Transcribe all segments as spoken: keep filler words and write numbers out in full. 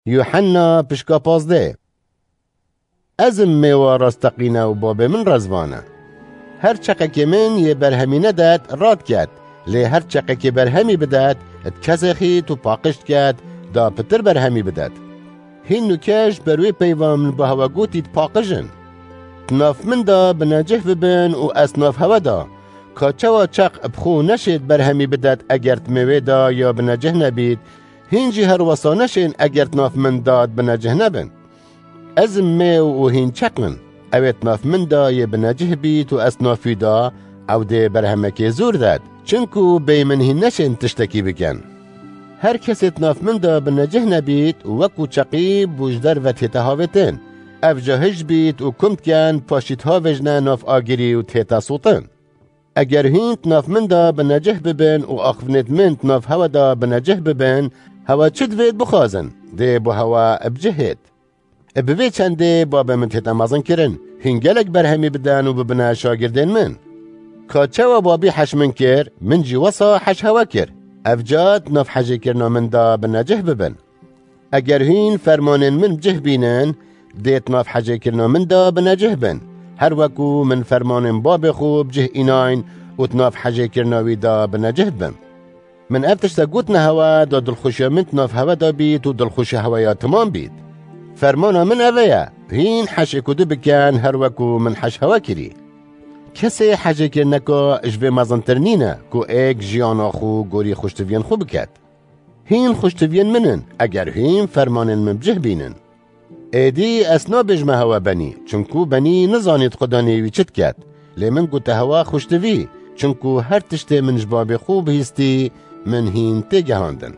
Yuhanna pişka pazdeh. Ez im mêwa rasteqîne û babê min rezvan e. Her çeqekê min yê berhemî nedet, rad ket. Lê her çeqekê berhemî bidet, di kesê xît û paqij diket, da pitir berhemî bidet. Hîn nûke ji ber wê peyva min bi hewe gotî di paqij in. Di nav min de binecih bibin û ez nav hewe de. Ka çawa çeq bi xwe neşêt berhemî bidet eger di mêwê de ya binecih nebît, hîn jî her wesa neşên eger di nav min de binecih nebin. Ez im mêw û hîn çeq in. Ew ê di nav min de yê binecih bît û ez nav wî de, ew dê berhemekê zûr det. Çinku bêyî min hîn neşên tiştekî bikin. Her kesê di nav min de binecih nebît û wekû çeqî bû ji derve tête havêtin. Ev ca hij bît û kum dikin, paşî dihavêjine nav agirî û tête sotin. Eger hîn di nav min de binecih bibin û axivnêt min di nav hewe de binecih bibin, hewe çi divêt bixwazin, dê bo hewe bicihêt. Bi vê çendê babê min tête mezinkirin, hîn gelek berhemî bidin û bibine şagirdên min. Ka çawa babî heş min kir, min jî wesa heş hewe kir. Ev ca di nav hejêkirina min de binecih bibin. Eger hîn fermanên min bi cih bînin, dê di nav hejêkirina min de binecih bin. Her wekû min fermanên babê xwe bi cih înayn û di nav hejêkirina wî de binecih dibin. Min ev tişte gotine hewe, da dilxweşiya min di nav hewe de bît û dilxweşiya hewe ya timam bît. Fermana min ev e ye, hîn heş êk û du bikin, her wekû min heş hewe kirî. Kesê hejêkirneka ji vê mezintir nîne, ku êk jiyana xwe gorî xweştiviyên xwe biket. Hîn xweştiviyên min in, eger hîn fermanên min bi cih bînin. Êdî ez nabêjme hewe benî, çinku benî nizanît Xudanê wî çi diket. Lê min gote hewe xweştivî, çinku her tiştê min ji babê xwe bihîstî, min hîn têgehandin.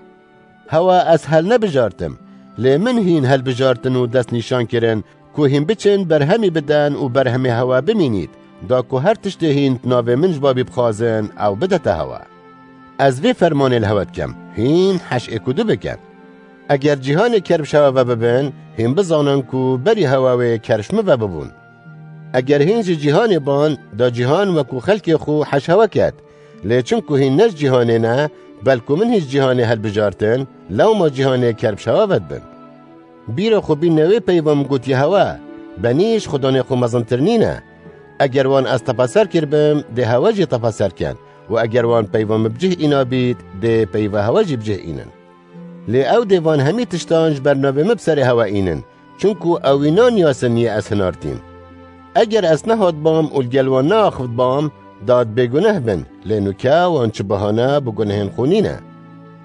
Hewe ez hel nebijartim, lê min hîn helbijartin û destnîşan kirin, ku hîn biçin berhemî bidin û berhemê hewe bimînît, da ku her tiştê hîn di navê min ji babî bixwazin, ew bidete hewe. Ez vê fermanê li hewe dikim, hîn heş êk û du bikin. Eger cîhanê kerb ji hewe ve bibin, hîn bizanin ku berî hewe wê kerb ji min ve bibûn. Eger hîn ji cîhanê ban, da cîhan wekû xelkê xwe heş hewe ket. Lê çinku hîn ne ji cîhanê ne, belku min hîn ji cîhanê helbijartin, lewma cîhanê kerb ji hewe ve dibin. Bîra xwe bîne wê peyva min gotiye hewe, benî ji Xudanê xwe mezintir nîne. Eger wan ez tepeser kiribim, dê hewe jî tepeser ken. Û eger wan peyva min bi cih îna bît, dê peyva hewe jî bi cih înin. Lê ew dê van hemî tiştan ji ber navê min bi serê hewe înin, çinku ew wî naniyasin yê ez hinartîm. Eger ez nehatbam û li gel wan neaxivtbam, da di bêguneh bin, lê nûke wan çi bahane bi gunehên xwe nîne.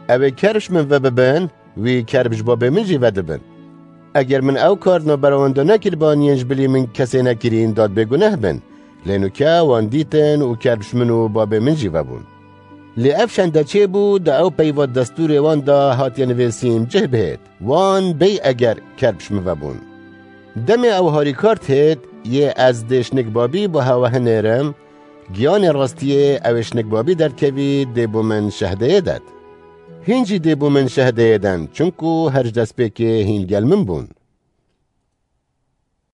Ew ê kerb ji min ve bibin, wî kerb ji babê min jî vedibin. Eger min ew kar di navbera wan de nekiriban yên ji bilî min kesê nekirîn, da di bêguneh bin, lê nûke wan dîtin û kerb ji min û babê min jî vebûn. Lê ev şende çêbû, da ew peyva destûrê wan de hatiye nivîsîn cih bihêt, wan bêy eger kerb ji min vebûn. Demê ew harîkar dihêt, yê ez dê şinik babî bo hewe hinêrim, giyanê rastiyê ew ê şinik babî derdikevî, dê bo min şehdeyê det. Hîn jî dê bo min şehdeyê den, çinku her ji destpêkê hîn gel min bûn.